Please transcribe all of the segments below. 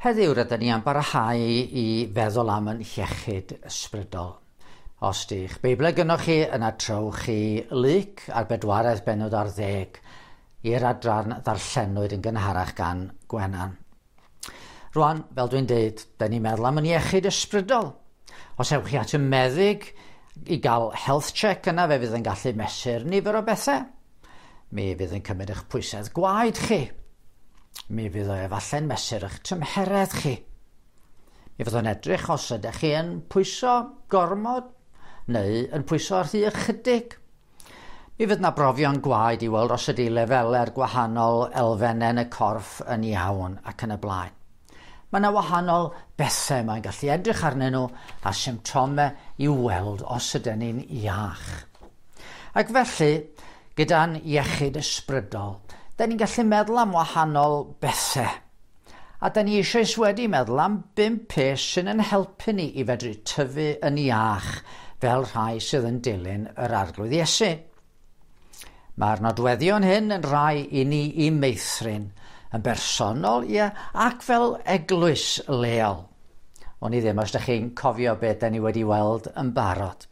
Heddiw rydyn ni am barhau i feddwl am yn hiechyd ysbrydol. Os di'ch Beiblau gynnoch chi, yna trowch chi Luc ar bedwaredd bennod ar ddeg i'r adran ddarllenwyd yn gynharach gan Gwenan. Rwan, fel dwi'n deud, da ni'n meddwl am yn iechyd ysbrydol. Os ewch chi at y meddyg i gael health check yna, fe fydd yn gallu mesur nifer o bethau. Mi fydd yn cymryd eich pwysedd gwaed chi. Mi fydd o efallai'n mesur eich tymheredd chi. Mi fydd o'n edrych os ydych chi yn pwyso gormod neu yn pwyso rhy ychydig. Mi fydd na brofion gwaed i weld os ydy lefelau'r gwahanol elfennau yn y corff yn iawn ac yn y blaen. Mae yna wahanol bethau mae'n gallu edrych arnyn nhw a symptomau i weld os ydyn ni'n iach. Ac felly, gyda'n iechyd ysbrydol, da ni'n gallu meddwl am wahanol bethau. A da ni eisoes wedi meddwl am bump peth sy'n yn helpu ni i fedru tyfu yn iach fel rhai sydd yn dilyn yr Arglwydd Iesu. Mae'r nodweddion hyn yn rhai i ni i meithrin, yn bersonol, ie, ac fel eglwys leol. O'n i ddim os ydych chi'n cofio beth da ni wedi weld yn barod.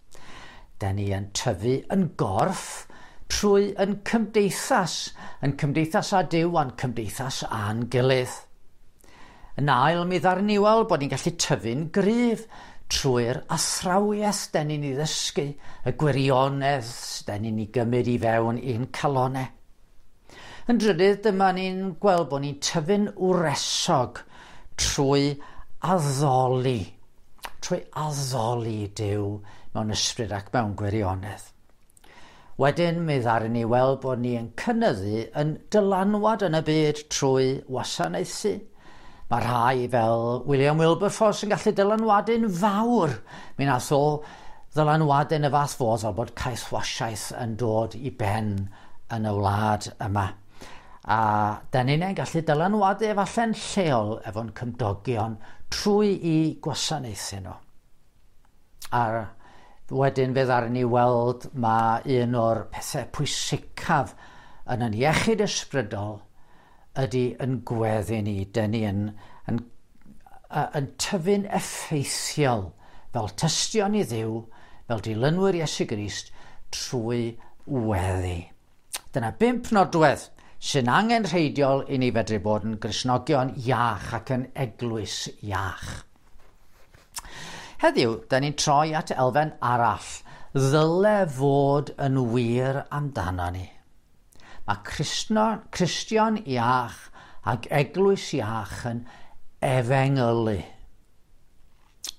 Da ni yn tyfu yn gorff trwy yn cymdeithas, yn cymdeithas â Duw a'n cymdeithas â'n gilydd. Yn ail, mi ddaru ni weld bod ni'n gallu tyfu'n gryf trwy'r athrawiaeth den ni'n ei ddysgu, y gwirionedd den ni'n ei gymryd i fewn i'n calonau. Yn drydydd, dyma ni'n gweld bod ni'n tyfu'n wresog trwy addoli, trwy addoli Duw mewn ysbryd ac mewn gwirionedd. Wedyn mi ddaru ni weld bod ni yn cynyddu yn dylanwad yn y byd trwy wasanaethu. Mae rhai fel William Wilberforce yn gallu dylanwadu'n fawr. Mi nath o ddylanwadu yn y fath fodd fel bod caethwasiaeth yn dod i ben yn y wlad yma. A da ni'n gallu dylanwadu efallai'n lleol efo'n cymdogion trwy i gwasanaethu nhw. A wedyn fe ddaru ni weld mae un o'r pethau pwysicaf yn yn iechyd ysbrydol ydy yn gweddi ni. Dyn ni yn, yn, yn tyfu'n effeithiol fel tystion i Dduw, fel dilynwyr Iesu Grist, trwy weddi. Dyna bump nodwedd sy'n angenrheidiol i ni fedru bod yn Gristnogion iach ac yn eglwys iach. Heddiw, da ni'n troi at elfen arall ddyle fod yn wir amdano ni. Mae Crisno, Cristion iach ac eglwys iach yn efengylu.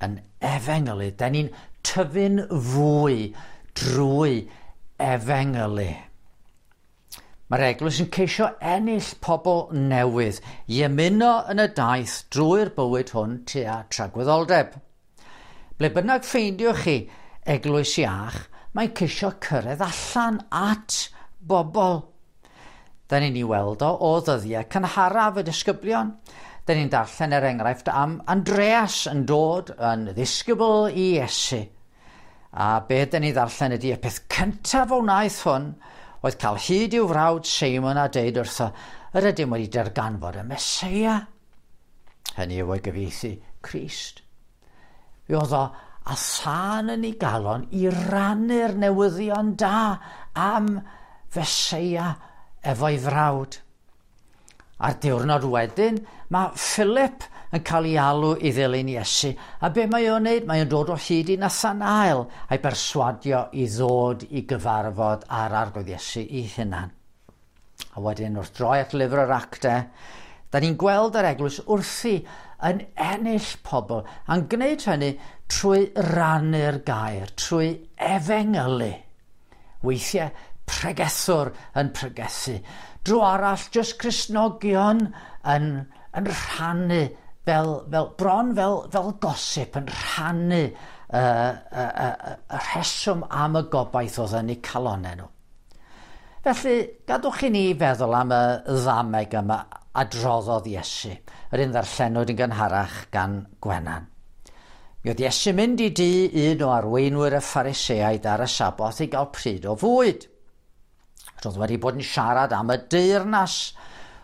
Yn efengylu. Da ni'n tyfu'n fwy drwy efengylu. Mae'r eglwys yn ceisio ennill pobl newydd i ymuno yn y daith drwy'r bywyd hwn tua tragwyddoldeb. Ble bynnag ffeindiwch chi eglwys iach, mae'n ceisio cyrraedd allan at bobl. Da ni'n ei weld o o ddyddiau cynharaf y disgyblion. Da ni'n darllen er enghraifft am Andreas yn dod yn ddisgybl i Iesu. A be da ni ddarllen ydy y peth cyntaf o wnaeth hwn oedd cael hyd i'w frawd Seimon a deud wrtho, yr ydym wedi darganfod y Meseia. Hynny yw o'i gyfieithu Crist. Fe oedd o a thân yn ei galon i rannu'r newyddion da am Feseia efo'i frawd. A'r diwrnod wedyn, mae Philip yn cael ei alw i ddilyn Iesu. A be mae o'n neud? Mae o'n dod o hyd i Nathanael a'i berswadio i ddod i gyfarfod â'r Arglwydd Iesu i hunan. A wedyn wrth droi at lyfr yr actau, da ni'n gweld yr eglwys wrthi yn ennill pobl, a'n gwneud hynny trwy rannu'r gair, trwy efengylu. Weithiau pregethwr yn pregethu. Dro arall, jyst Cristnogion yn, yn rhannu, fel, fel, bron fel, fel gosip, yn rhannu y, y, y, y rheswm am y gobaith oedd yn eu calonau nhw. Felly, gadwch i ni feddwl am y ddameg yma adroddodd Iesu, yr un ddarllenwyd yn gynharach gan Gwenan. Mi oedd Iesu mynd i dŷ un o arweinwyr y Phariseaid ar y Saboth i gael pryd o fwyd. Roedd wedi bod yn siarad am y deyrnas.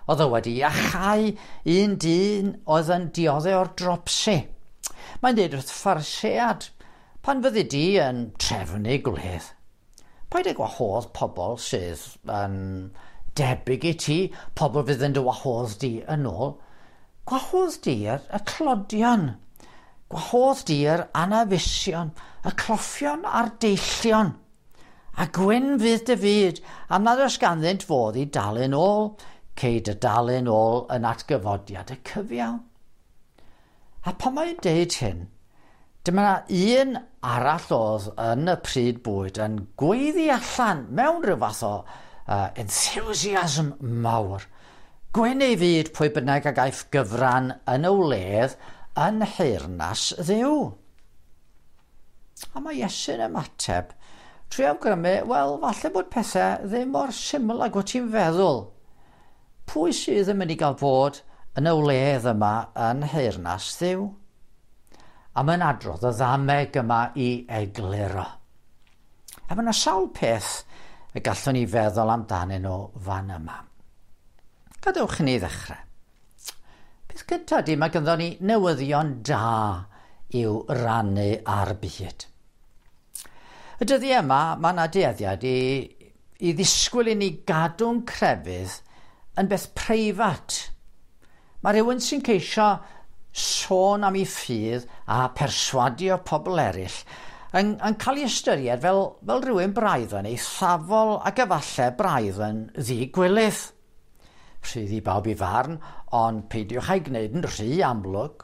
Oedd o wedi iachau un dyn oedd yn dioddef o'r dropsi. Mae'n dweud wrth Pharisead, pan fyddi di yn trefnu gwledd, paid â gwahodd pobl sydd yn debyg i ti, pobl fydd yn dy wahodd di yn ôl. Gwahodd di y tlodion, gwahodd di yr anafusion, y cloffion a'r deillion. A gwyn fydd dy fyd, am nad oes ganddynt fodd i dalu'n ôl, cei dy dalu'n ôl yn atgyfodiad y cyfiawn. A pan mae'n deud hyn, dyma un arall oedd yn y pryd bwyd yn gweiddi allan mewn rhyw fath o enthusiasm mawr. Gwyn ei fyd pwy bynnag a gaiff gyfran yn y wledd yn nheyrnas Dduw. A mae Iesu'n ymateb trwy awgrymu, wel, falle bod pethau ddim mor syml ag wyt ti'n feddwl. Pwy sydd yn mynd i gael bod yn y wledd yma yn nheyrnas Dduw? A mae'n adrodd y ddameg yma i egluro. A mae yna sawl peth y gallwn ni feddwl amdanyn nhw fan yma. Gadewch i ni ddechrau. Peth cyntaf di, mae ganddo ni newyddion da i'w rannu ar byd. Y dyddiau yma, mae yna dueddiad i ddisgwyl i ni gadw'n crefydd yn beth preifat. Mae rhywun sy'n ceisio sôn am ei ffydd a perswadio pobl eraill yn cael ei ystyried fel rhywun braidd yn eithafol ac efallai braidd yn ddigwilydd. Rhydd i bawb i farn, ond peidiwch â'i gwneud yn rhy amlwg.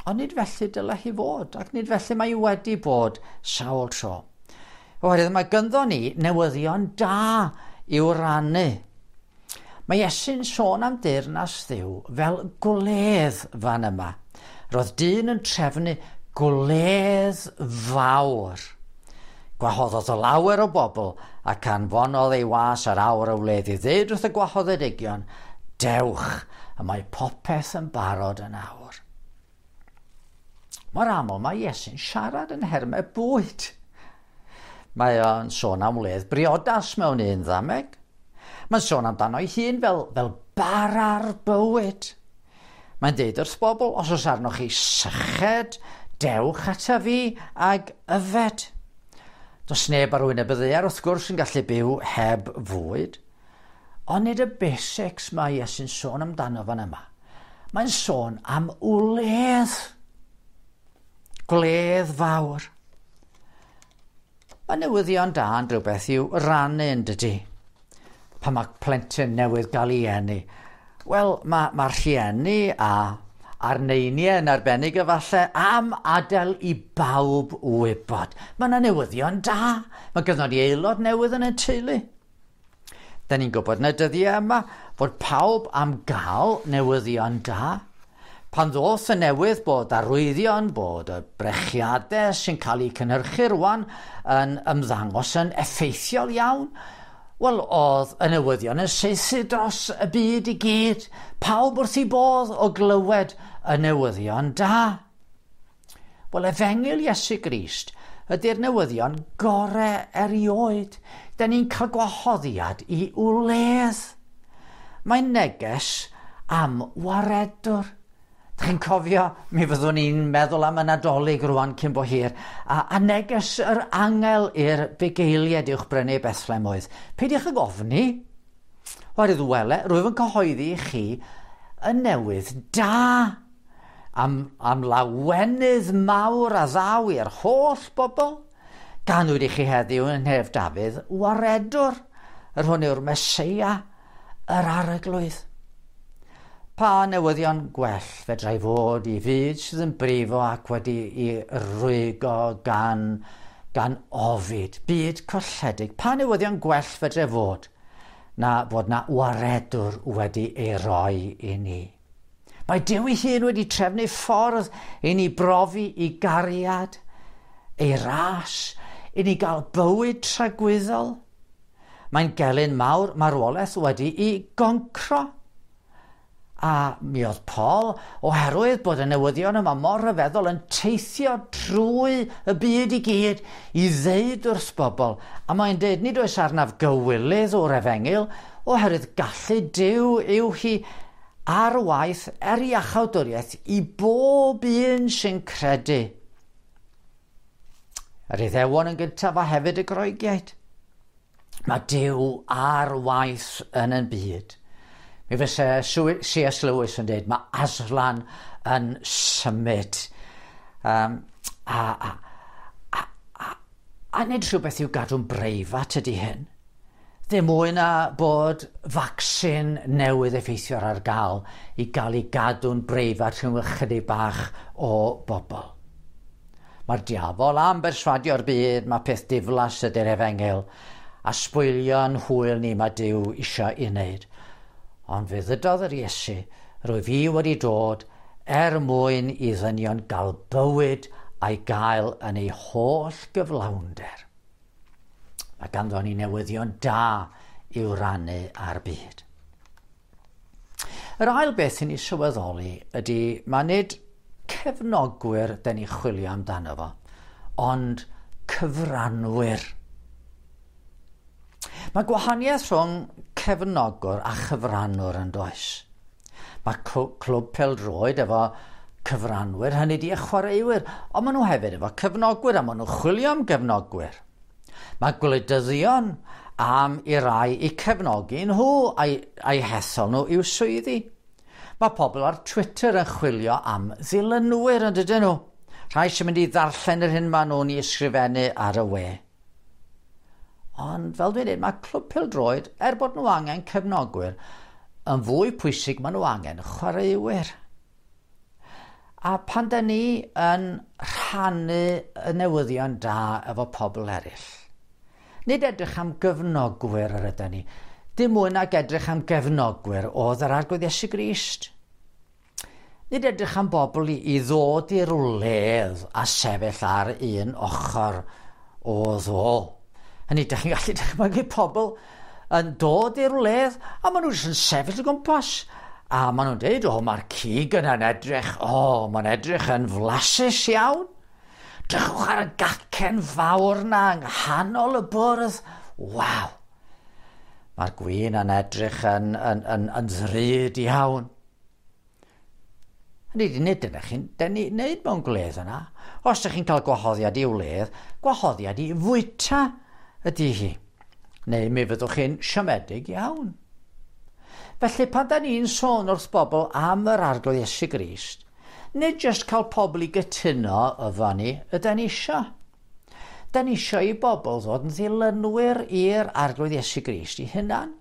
Ond nid felly dylai hi fod, ac nid felly mae hi wedi bod sawl tro. Oherwydd mae gynddo ni newyddion da i'w rannu. Mae Iesu'n sôn am deyrnas Dduw fel gwledd fan yma. Roedd dyn yn trefnu gwledd fawr. Gwahoddodd lawer o bobl ac anfonodd ei was ar awr y wledd i ddeud wrth y gwahoddedigion, dewch, y mae popeth yn barod yn awr. Mor aml mae Iesu'n siarad yn nhermau bwyd. Mae o'n sôn am wledd briodas mewn un ddameg. Mae'n sôn amdano ei hun fel bara'r bywyd. Mae'n deud wrth bobl, os oes arnoch chi syched, dewch ata fi ag yfed. Does neb ar wyneb y ddaear wrth gwrs yn gallu byw heb fwyd. Ond nid y basics mae Iesu'n sôn amdano fan yma. Mae'n sôn am wledd. Gwledd fawr. Mae newyddion da yn rhywbeth i'w rannu yn dydy. Pan mae plentyn newydd gael ei eni. Wel, mae rhieni a'r neiniau yn arbennig efallai am adael i bawb wybod. Mae yna newyddion da. Mae gynnon ni aelod newydd yn y teulu. Da ni'n gwybod yn y dyddiau yma fod pawb am gael newyddion da. Pan ddoth y newydd bod arwyddion, bod y brechiadau sy'n cael eu cynhyrchu rwan yn ymddangos yn effeithiol iawn, wel, oedd y newyddion yn saethu dros y byd i gyd. Pawb wrth ei bodd o glywed y newyddion da. Wel, efengyl Iesu Grist ydy'r newyddion gorau erioed. Da ni'n cael gwahoddiad i wledd. Mae'n neges am waredwr. Dych chi'n cofio, mi fyddwn ni'n meddwl am y Nadolig rwan cyn bo hir, a neges yr angel i'r bugeiliaid uwch brynu Bethlehem oedd. Peidiwch ag ofni, oherwydd wele, rwyf yn cyhoeddi i chi y newydd da am lawenydd mawr a ddaw i'r holl bobl. Ganwyd i chi heddiw yn nhref Dafydd waredwr, yr hwn yw'r Meseia, yr Arglwydd. Pa newyddion gwell fedrai fod i fyd sydd yn brifo ac wedi ei rwygo gan ofid, byd colledig. Pa newyddion gwell fedrai fod na fod na waredwr wedi ei roi i ni. Mae Duw ei hun wedi trefnu ffordd i ni brofi i gariad, ei ras, i ni gael bywyd tragwyddol. Mae'n gelyn mawr marwolaeth wedi ei goncro. A mi oedd Paul, oherwydd bod y newyddion yma mor rhyfeddol, yn teithio trwy y byd i gyd i ddeud wrth bobl. A mae'n deud, nid oes arnaf gywilydd o'r efengyl, Oherwydd gallu Duw yw hi ar waith er iachawdwriaeth i bob un sy'n credu. Yr Iddewon yn gyntaf a hefyd y Groegiaid. Mae Duw ar waith yn y byd. Mi fysa C.S. Lewis yn dweud, mae Aslan yn symud. Um, a, a, a, a, a nid rhywbeth i'w gadw'n breifat ydy hyn. Ddim mwy na bod vaccine newydd effeithiol ar gael i gael ei gadw'n breifat rhwng ychydig bach o bobl. Mae'r diafol am berswadio'r byd, mae peth diflas ydy'r efengyl, a sbwylio'n hwyl ni mae Duw eisiau i wneud. Ond fe ddydodd yr Iesu, rwyf i wedi dod er mwyn i ddynion gael bywyd a'i gael yn ei holl gyflawnder. Mae ganddo ni newyddion da i'w rannu ar byd. Yr ail beth i ni sylweddoli ydy mae nid cefnogwyr dyn ni chwilio amdano fo, ond cyfranwyr. Mae gwahaniaeth rhwng cefnogwr a chyfranwr yn does. Mae clwb pêl-droed efo cyfranwyr, hynny di y chwaraewyr, ond maen nhw hefyd efo cefnogwyr a maen nhw'n chwilio am gefnogwyr. Mae gwleidyddion am i rai i cefnogi nhw a'i, a'i hethol nhw i'w swyddi. Mae pobl ar Twitter yn chwilio am ddilynwyr yn dydyn nhw. Rhai sy'n mynd i ddarllen yr hyn maen nhw'n ei ysgrifennu ar y we. Ond fel dwi'n dweud, mae clwb pêl-droed, er bod nhw angen cefnogwyr, yn fwy pwysig maen nhw angen chwaraewyr. A pan da ni yn rhannu y newyddion da efo pobl eraill, nid edrych am gyfnogwyr yr ydyn ni, dim mwy nag edrych am gefnogwyr oedd yr Arglwydd Iesu Grist. Nid edrych am bobl i, i ddod i'r wledd a sefyll ar un ochr oedd o. Hynny, dych chi'n gallu dychmygu pobl yn dod i'r wledd a maen nhw jyst yn sefyll o gwmpas. A maen nhw'n dweud, o, mae'r cig yna'n edrych, o, mae'n edrych yn flasus iawn. Drychwch ar y gacen fawr na yng nghanol y bwrdd. Waw! Mae'r gwin yn edrych yn, yn, yn, yn ddrud iawn. Hynny ydi, nid dyna chi'n wneud mewn gwledd yna. Os ydych chi'n cael gwahoddiad i wledd, gwahoddiad i fwyta ydy hi. Neu mi fyddwch chi'n siomedig iawn. Felly pan da ni'n sôn wrth bobl am yr Arglwydd Iesu Grist, nid jyst cael pobl i gytuno efo ni ydy ni isio. Da ni isio i bobl ddod yn ddilynwyr i'r Arglwydd Iesu Grist i hunan.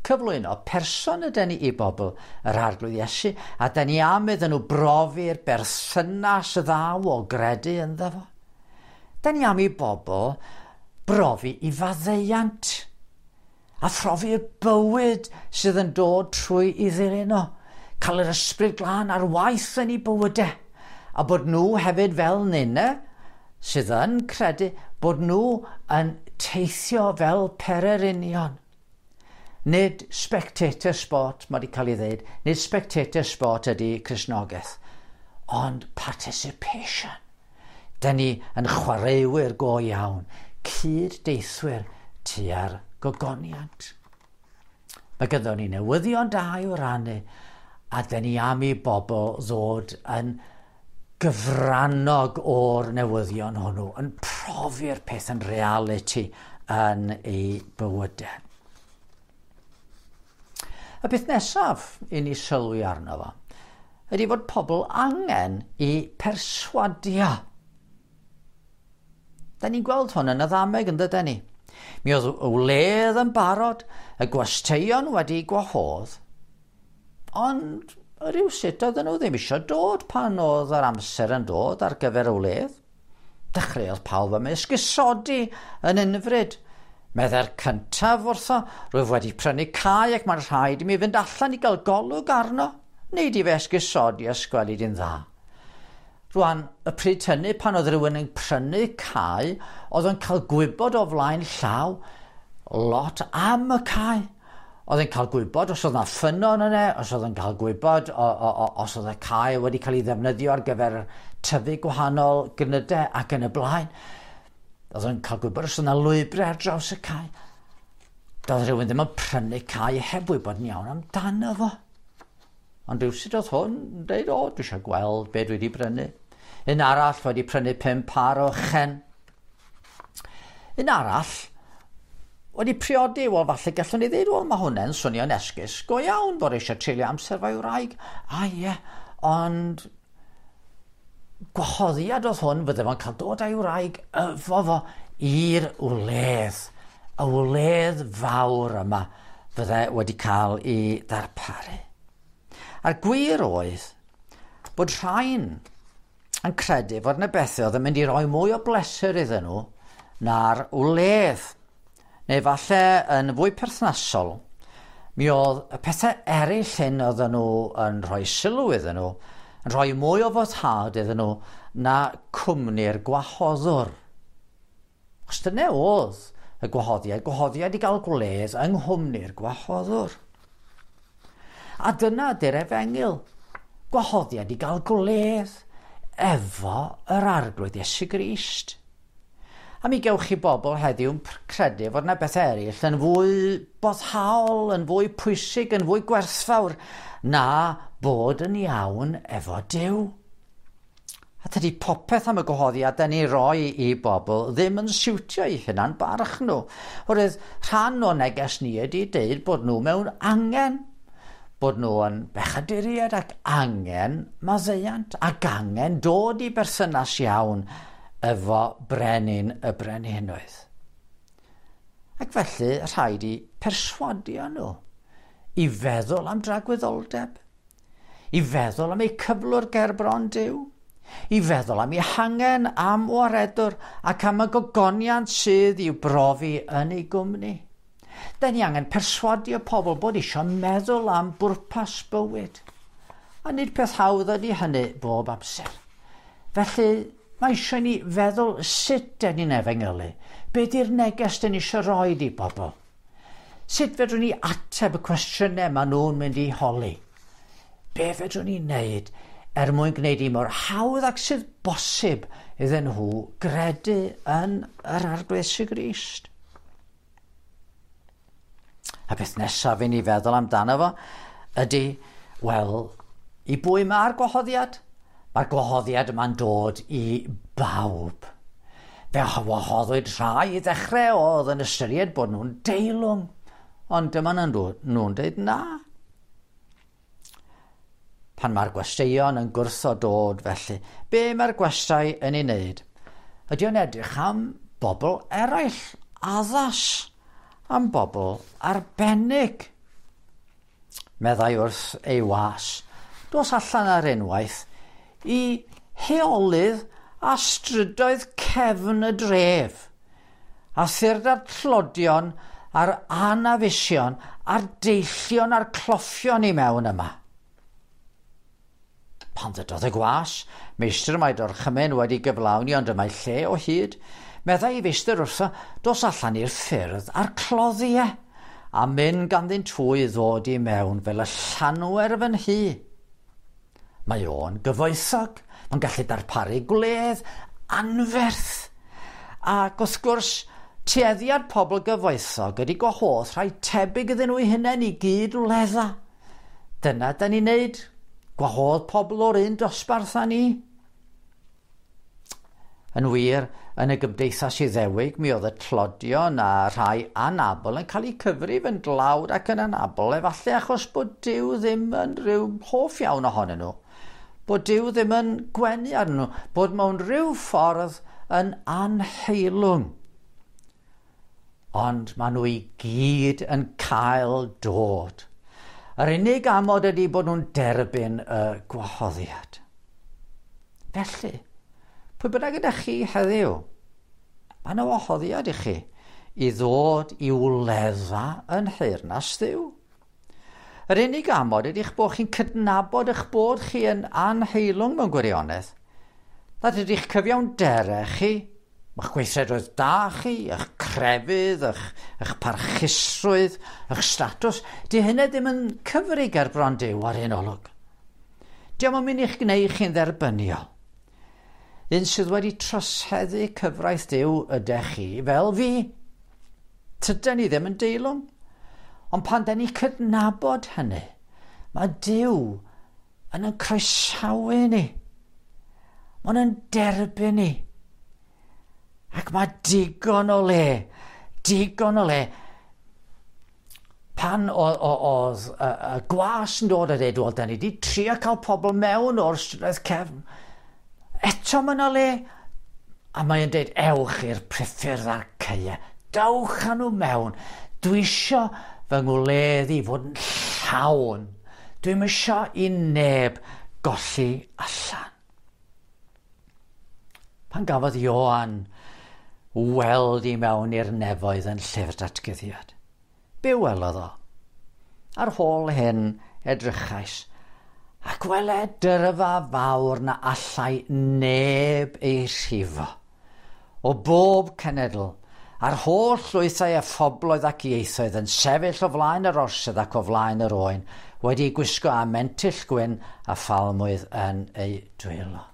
Cyflwyno person ydy ni i bobl yr Arglwydd Iesu, a da ni am iddyn nhw brofi'r berthynas ddaw o gredu ynddo fo. Da ni am i bobl brofi i faddeuant a phrofi'r bywyd sydd yn dod trwy i ddilyn o. Cael yr ysbryd glân ar waith yn ei bywydau. A bod nhw hefyd fel ninne, sydd yn credu bod nhw yn teithio fel pererinion. Nid spectator sport, mae wedi cael ei ddeud, nid spectator sport ydy Cristnogaeth, ond participation. Da ni yn chwaraewyr go iawn, cyd-deithwyr tua'r gogoniant. Mae gyda ni newyddion da i'w rannu, a dyn ni am i bobl ddod yn gyfrannog o'r newyddion hwnnw, yn profi'r peth yn reality yn ei bywydau. Y peth nesaf i ni sylwi arno fo ydy fod pobl angen i perswadio. Da ni'n gweld hwn yn y ddameg yn dydyn ni. Mi oedd y wledd yn barod, y gwesteion wedi gwahodd, ond rhywsut oedden nhw ddim eisiau dod pan oedd yr amser yn dod ar gyfer y wledd. Dechreuodd pawb am esgusodi yn unfryd. Meddai'r cyntaf wrtho, rwyf wedi prynu cae ac mae'n rhaid i mi fynd allan i gael golwg arno. Neud i fe esgusodi a sgwelu di'n dda. Rwan, y pryd hynny, pan oedd rhywun yn prynu cae, oedd yn cael gwybod o flaen llaw lot am y cae. Oedd yn cael gwybod os oedd yna ffynnon yna, os oedd yn cael gwybod o, o, o, os oedd y cae wedi cael ei ddefnyddio ar gyfer tyfu gwahanol gnydau ac yn y blaen. Oedd yn cael gwybod os oedd yna lwybrau ar draws y cae. Doedd rhywun ddim yn prynu cae heb wybod yn iawn amdano fo. Ond rhywsut oedd hwn yn dweud, o, dwi eisiau gweld be dwi wedi brynu. Un arall wedi prynu 5 par o chen. Un arall wedi priodi, wel falle gallwn ni ddweud, wel mae hwnna'n swnio'n esgus go iawn bod eisiau treulio amser fo'i wraig. A ie, ond gwahoddiad oedd hwn fydde fo'n cael dod â'i wraig efo fo i'r wledd. Y wledd fawr yma fydde wedi cael ei ddarparu. A'r gwir oedd bod rhain yn credu fod yna bethau oedd yn mynd i roi mwy o bleser iddyn nhw na'r wledd. Neu falle yn fwy perthnasol, mi oedd y pethau eraill hyn oedden nhw yn rhoi sylw iddyn nhw, yn rhoi mwy o foddhad iddyn nhw na cwmni'r gwahoddwr. Os dyna oedd y gwahoddiad, gwahoddiad i gael gwledd yng nghwmni'r gwahoddwr. A dyna ydy'r efengyl, gwahoddiad i gael gwledd efo yr Arglwydd Iesu Grist. A mi gewch chi bobl heddiw'n credu fod yna bethau eraill yn fwy boddhaol, yn fwy pwysig, yn fwy gwerthfawr na bod yn iawn efo Duw. A tydi popeth am y gwahoddiad da ni roi i bobl ddim yn siwtio eu hunan barch nhw. Oherwydd rhan o neges ni ydy deud bod nhw mewn angen, bod nhw yn bechaduriaid ac angen maddeuant ac angen dod i berthynas iawn efo brenin y brenhinoedd. Ac felly rhaid i perswadio nhw i feddwl am dragwyddoldeb, i feddwl am eu cyflwr ger bron Duw, i feddwl am eu hangen am waredwr ac am y gogoniant sydd i'w brofi yn ei gwmni. Da ni angen perswadio pobl bod eisiau meddwl am bwrpas bywyd. A nid peth hawdd ydy hynny bob amser. Felly, mae eisiau ni feddwl sut dyn ni'n efengylu. Be di'r neges dyn ni eisiau rhoi i bobl? Sut fedrwn ni ateb y cwestiynau maen nhw'n mynd i holi? Be fedrwn ni wneud er mwyn gwneud i mor hawdd ac sydd bosib iddyn nhw gredu yn yr Arglwydd Iesu Grist? A beth nesaf i ni feddwl amdano fo ydy, wel, i bwy mae'r gwahoddiad? Mae'r gwahoddiad yma'n dod i bawb. Fe wahoddwyd rhai i ddechrau oedd yn ystyried bod nhw'n deilwng, ond dyma nhw'n dweud na. Pan mae'r gwesteion yn gwrthod dod felly, be mae'r gwestai yn ei wneud? Ydy o'n edrych am bobl eraill, addas, am bobl arbennig. Meddai wrth ei was, dos allan ar unwaith i heolydd a strydoedd cefn y dref, a thyrda'r tlodion a'r anafusion a'r deillion a'r cloffion i mewn yma. Pan ddydodd y gwas, meistr mae dorchymyn wedi gyflawni ond y mae lle o hyd, meddai i feistr wrtho, dos allan i'r ffyrdd a'r cloddiau, a mynd ganddynt hwy ddod i mewn fel y llanwer fy nhŷ. Mae o'n gyfoethog, mae'n gallu darparu gwledd anferth. Ac wrth gwrs, tueddiad pobl gyfoethog ydy gwahodd rhai tebyg iddyn nhw eu hunain i gyd wledda. Dyna da ni'n neud, gwahodd pobl o'r un dosbarth â ni. Yn wir, yn y gymdeithas Iddewig, mi oedd y tlodion a rhai anabl yn cael eu cyfrif yn dlawd ac yn anabl, efallai achos bod Duw ddim yn rhyw hoff iawn ohonyn nhw, bod Duw ddim yn gwenu arnyn nhw, bod mewn rhyw ffordd yn anheilwng. Ond maen nhw i gyd yn cael dod. Yr unig amod ydy bod nhw'n derbyn y gwahoddiad. Felly, pwy bynnag ydych chi heddiw, mae yna wahoddiad i chi i ddod i wledda yn nheyrnas Dduw. Yr unig amod ydy'ch bod chi'n cydnabod eich bod chi yn anheilwng mewn gwirionedd. Nad ydych cyfiawnderau chi, eich gweithredoedd da chi, eich crefydd, eich parchusrwydd, eich statws, di hynny ddim yn cyfri ger bron Duw ar un olwg. Dio'm yn mynd i'ch gwneud chi'n dderbyniol. Un sydd wedi troseddu cyfraith Duw ydych chi fel fi. Tydan ni ddim yn deilwng. Ond pan da ni cydnabod hynny, mae Duw yn yn croesawu ni. Mae'n yn derbyn ni. Ac mae digon o le, digon o le. Pan oedd y gwas yn dod a dweud, wel, da ni wedi trio cael pobl mewn o'r strydoedd cefn. Eto mae yna le. A mae'n dweud, ewch i'r priffyrdd a'r caeau. Dewch â nhw mewn. Dwi isio fy ngwledd i fod yn llawn. Dwi'm isio i neb golli allan. Pan gafodd Ioan weld i mewn i'r nefoedd yn llyfr datguddiad, be welodd o? Ar hôl hyn edrychais, ac wele dyrfa fawr na allai neb ei rhifo. O bob cenedl, a'r holl lwythau a phobloedd ac ieithoedd yn sefyll o flaen yr orsedd ac o flaen yr oen, wedi gwisgo â mentyll gwyn a phalmwydd yn eu dwylo.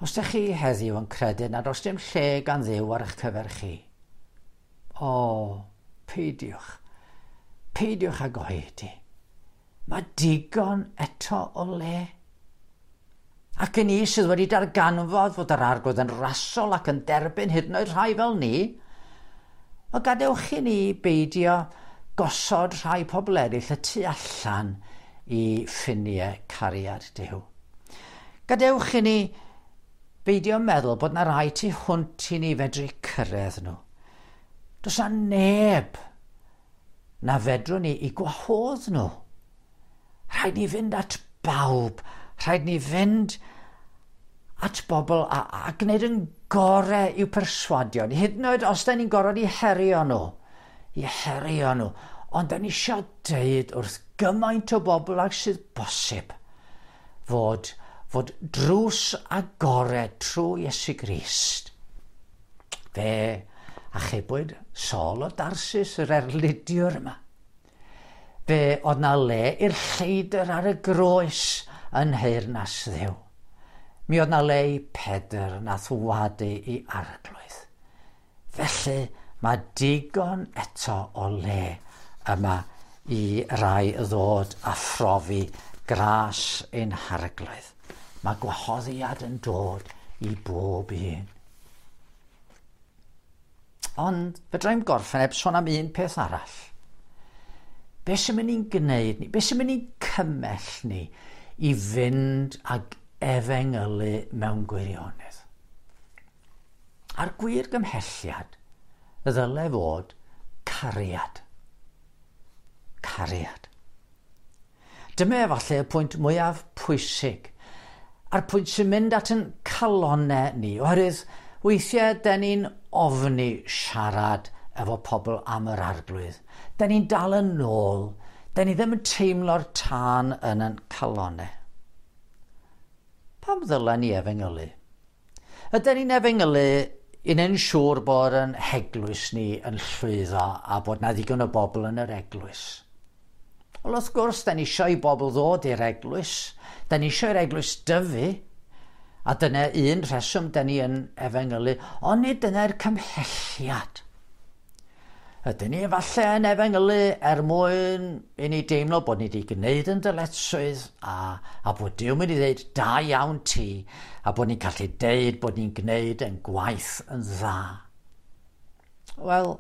Os ydych chi heddiw yn credu nad oes dim lle gan Dduw ar eich cyfer chi, o, peidiwch, peidiwch ag oedi. Mae digon eto o le. Ac i ni sydd wedi darganfod fod yr Arglwydd yn rasol ac yn derbyn hyd yn oed rhai fel ni, o gadewch i ni beidio gosod rhai pobl eraill y tu allan i ffiniau cariad Duw. Gadewch i ni beidio meddwl bod na rai tu hwnt i ni fedru cyrraedd nhw. Does na neb na fedrwn ni i gwahodd nhw. Rhaid ni fynd at bawb. Rhaid ni fynd at bobl a gwneud yn gorau i'w perswadio. Hyd yn oed os da ni'n gorfod i herio nhw. I herio nhw. Ond da ni eisiau deud wrth gymaint o bobl ag sydd bosib fod drws agored trwy Iesu Grist. Fe achubwyd Saul o Darsus, yr erlidiwr yma. Fe oedd na le i'r lleidr ar y groes yn nheyrnas Dduw. Mi oedd na le i Pedr nath wadu i Arglwydd. Felly mae digon eto o le yma i rai ddod a phrofi gras ein Harglwydd. Mae gwahoddiad yn dod i bob un. Ond fedrai'm gorffen heb sôn am un peth arall. Be sy'n mynd i'n gwneud ni? Be sy'n mynd i'n cymell ni i fynd ag efengylu mewn gwirionedd? A'r gwir gymhelliad ddyle fod cariad. Cariad. Dyma efallai y pwynt mwyaf pwysig, a'r pwynt sy'n mynd at yn calonnau ni, oherwydd weithiau da ni'n ofni siarad efo pobl am yr Arglwydd. Da ni'n dal yn ôl, da ni ddim yn teimlo'r tân yn ein calonnau. Pam ddylen ni efengylu? Ydyn ni'n efengylu i wneud yn siŵr bod yn heglwys ni yn llwyddo a bod na ddigon o bobl yn yr eglwys? Wel, wrth gwrs, da ni eisiau i bobl ddod i'r eglwys. Da ni eisiau i'r eglwys dyfu. A dyna un rheswm da ni yn efengylu, ond nid dyna'r cymhelliad. Ydyn ni efallai yn efengylu er mwyn i ni deimlo bod ni wedi gwneud yn dyletswydd a bod Duw mynd i ddeud da iawn ti a bod ni'n gallu deud bod ni'n gwneud yn gwaith yn dda. Wel,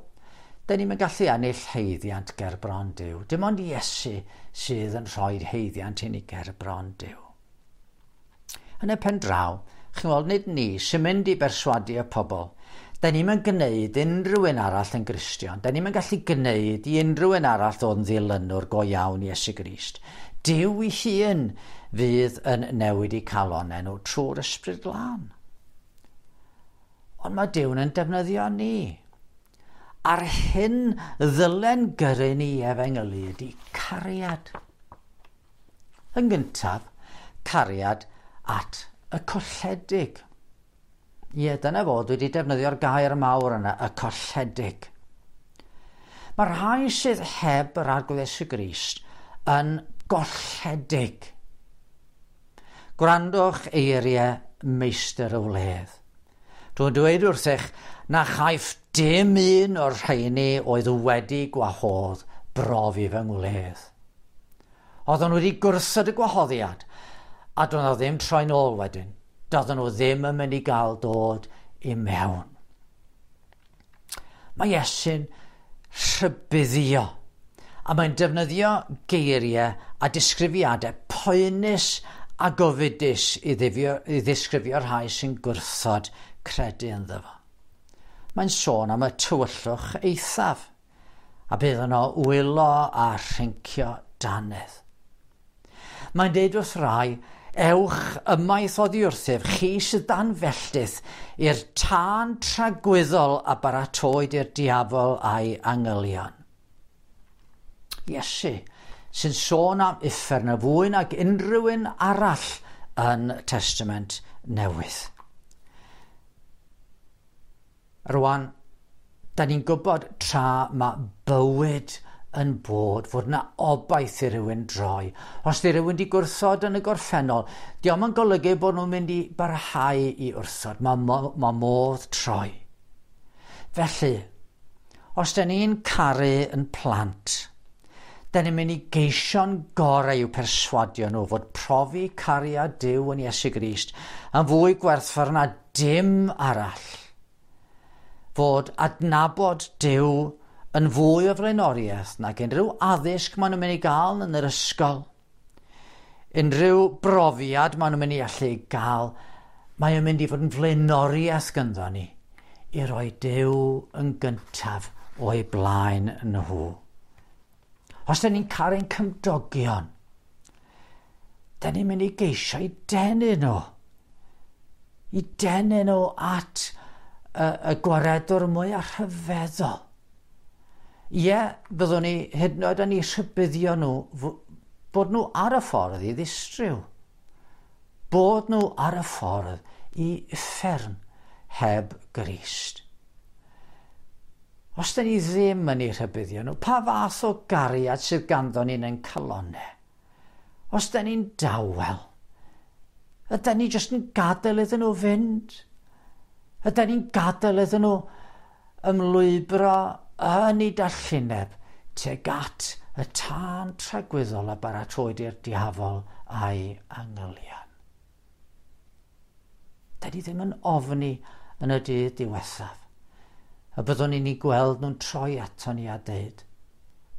da ni'n gallu ennill haeddiant ger bron Duw. Dim ond Iesu sydd yn rhoi haeddiant i ni ger bron Duw. Yn y pen draw, chi'n gweld, nid ni sy'n mynd i berswadio pobl. Da ni'n mynd gwneud unrhyw un arall yn Gristion. Da ni'n mynd gallu gwneud i unrhyw un arall ddod yn ddilynwr go iawn Iesu Grist. Duw ei hun fydd yn newid eu calonnau nhw trwy'r Ysbryd Glân. Ond mae Duw yn defnyddio ni. A'r hyn ddylen gyrru ni efengylu ydy cariad. Yn gyntaf, cariad at y colledig. Ie, dyna fo, dwi wedi defnyddio'r gair mawr yna, y colledig. Mae rhai sydd heb yr Arglwydd Iesu Grist yn golledig. Gwrandwch eiriau meistr y wledd. Dwi'n dweud wrthych na chaiff dim un o'r rheini oedd wedi gwahodd brofi fy ngwledd. Oedden nhw wedi gwrthod y gwahoddiad, a doedd nhw ddim troi'n ôl wedyn. Doedden nhw ddim yn mynd i gael dod i mewn. Mae Iesu'n rhybuddio, a mae'n defnyddio geiriau a disgrifiadau poenus a gofidus i ddisgrifio'r rhai sy'n gwrthod credu ynddo fo. Mae'n sôn am y tywyllwch eithaf, a bydd yno wylo a rhyncio dannedd. Mae'n deud wrth rai, ewch ymaith oddi wrthyf, chi sydd dan felltith, i'r tân tragwyddol a baratoed i'r diafol a'i angylion. Iesu, sy'n sôn am uffern y fwy nag unrhyw un arall yn Testament Newydd. Rwan, da ni'n gwybod tra mae bywyd yn bod, fod yna obaith i rywun droi. Os di rywun di gwrthod yn y gorffennol, dio'm yn golygu bod nhw'n mynd i barhau i wrthod. Mae modd troi. Felly, os da ni'n caru yn plant, da ni'n mynd i geisio'n gorau i'w perswadio nhw fod profi cariad Duw yn Iesu Grist yn fwy gwerthfawr na dim arall. Fod adnabod Duw yn fwy o flaenoriaeth nag unrhyw addysg maen nhw'n mynd i gael yn yr ysgol. Unrhyw brofiad maen nhw'n mynd i allu gael, mae o'n mynd i fod yn flaenoriaeth gynddo ni i roi Duw yn gyntaf o'i blaen nhw. Os da ni'n caru'n cymdogion, da ni'n mynd i geisio i denu nhw. I denu nhw at y gwaredwr mwyaf rhyfeddol. Ie, byddwn ni hyd yn oed yn eu rhybuddio nhw bod nhw ar y ffordd i ddistryw. Bod nhw ar y ffordd i uffern heb Grist. Os da ni ddim yn eu rhybuddio nhw, pa fath o gariad sydd ganddo ni'n ein calonnau? Os da ni'n dawel, ydy ni jyst yn gadael iddyn nhw fynd? Ydy ni'n gadael iddyn nhw ymlwybro yn ei dallineb tuag at y tân tragwyddol a baratoed i'r diafol a'i angylion? Da ni ddim yn ofni yn y dydd diwethaf, y byddwn ni'n ei gweld nhw'n troi ato ni a deud,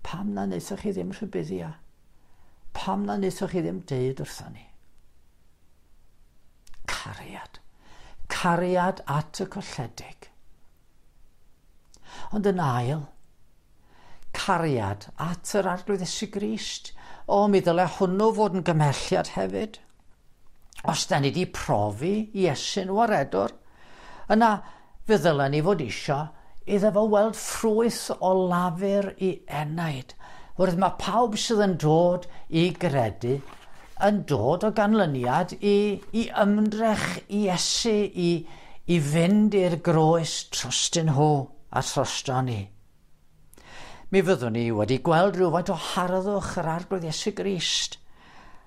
pam na wnaethoch chi ddim rhybuddio? Pam na wnaethoch chi ddim deud wrthon ni? Cariad. Cariad at y colledig. Ond yn ail, cariad at yr Arglwydd Iesu Grist. O, mi ddyle hwnnw fod yn gymhelliad hefyd. Os da ni wedi profi Iesu'n waredwr, yna fe ddylen ni fod isio iddo fo weld ffrwyth o lafur i enaid. Wrth mae pawb sydd yn dod i gredu yn dod o ganlyniad i ymdrech Iesu i fynd i'r groes trostyn nhw a throsto ni. Mi fyddwn ni wedi gweld rhywfaint o harddwch yr Arglwydd Iesu Grist,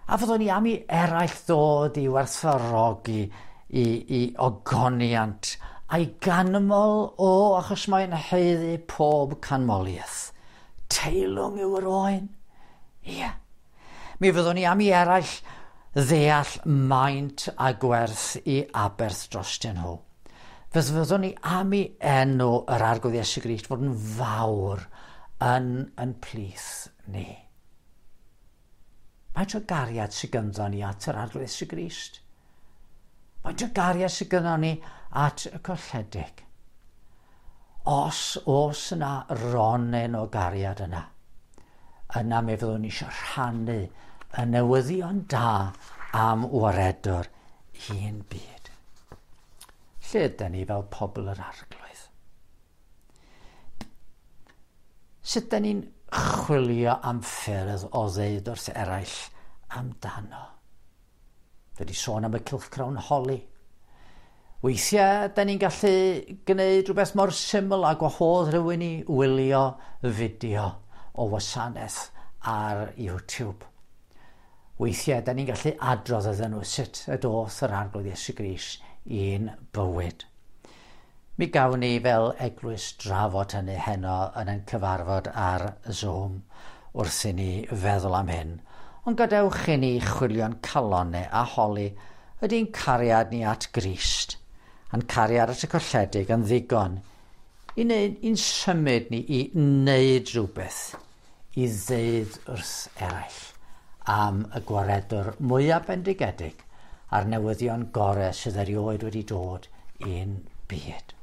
a fyddwn ni am i eraill ddod i werthfawrogi i ogoniant a'i ganmol o, achos mae'n haeddu pob canmoliaeth. Teilwng yw yr oen. Ie. Mi fyddwn ni am i eraill ddeall maint a gwerth i aberth drostyn nhw. Fe fyddwn ni am i enw yr Arglwydd Iesu Grist fod yn fawr yn plith ni. Faint o gariad sydd ganddo ni at yr Arglwydd Iesu Grist? Faint o gariad sydd ganddo ni at y colledig? Os oes yna ronyn o gariad yna, yna mi fyddwn ni eisiau rhannu y newyddion da am waredwr un byd. Lle ydyn ni fel pobl yr Arglwydd? Sut ydyn ni'n chwilio am ffyrdd o ddeud wrth eraill amdano? Fe di sôn am y cylchgrawn holi. Weithiau, da ni'n gallu gwneud rhywbeth mor syml a gwahodd rhywun i wylio fideo o wasanaeth ar YouTube. Weithiau, da ni'n gallu adrodd iddyn nhw sut y doth yr Arglwydd Iesu Grist i'n bywyd. Mi gawn ni fel eglwys drafod hynny heno yn ein cyfarfod ar Zoom wrth i ni feddwl am hyn. Ond gadewch i ni chwilio'n calonau a holi ydy'n cariad ni at Grist, a'n cariad at y colledig yn ddigon i wneud, i'n symud ni i wneud rhywbeth i ddeud wrth eraill am y gwaredwr mwyaf bendigedig a'r newyddion gorau sydd erioed wedi dod i'n byd.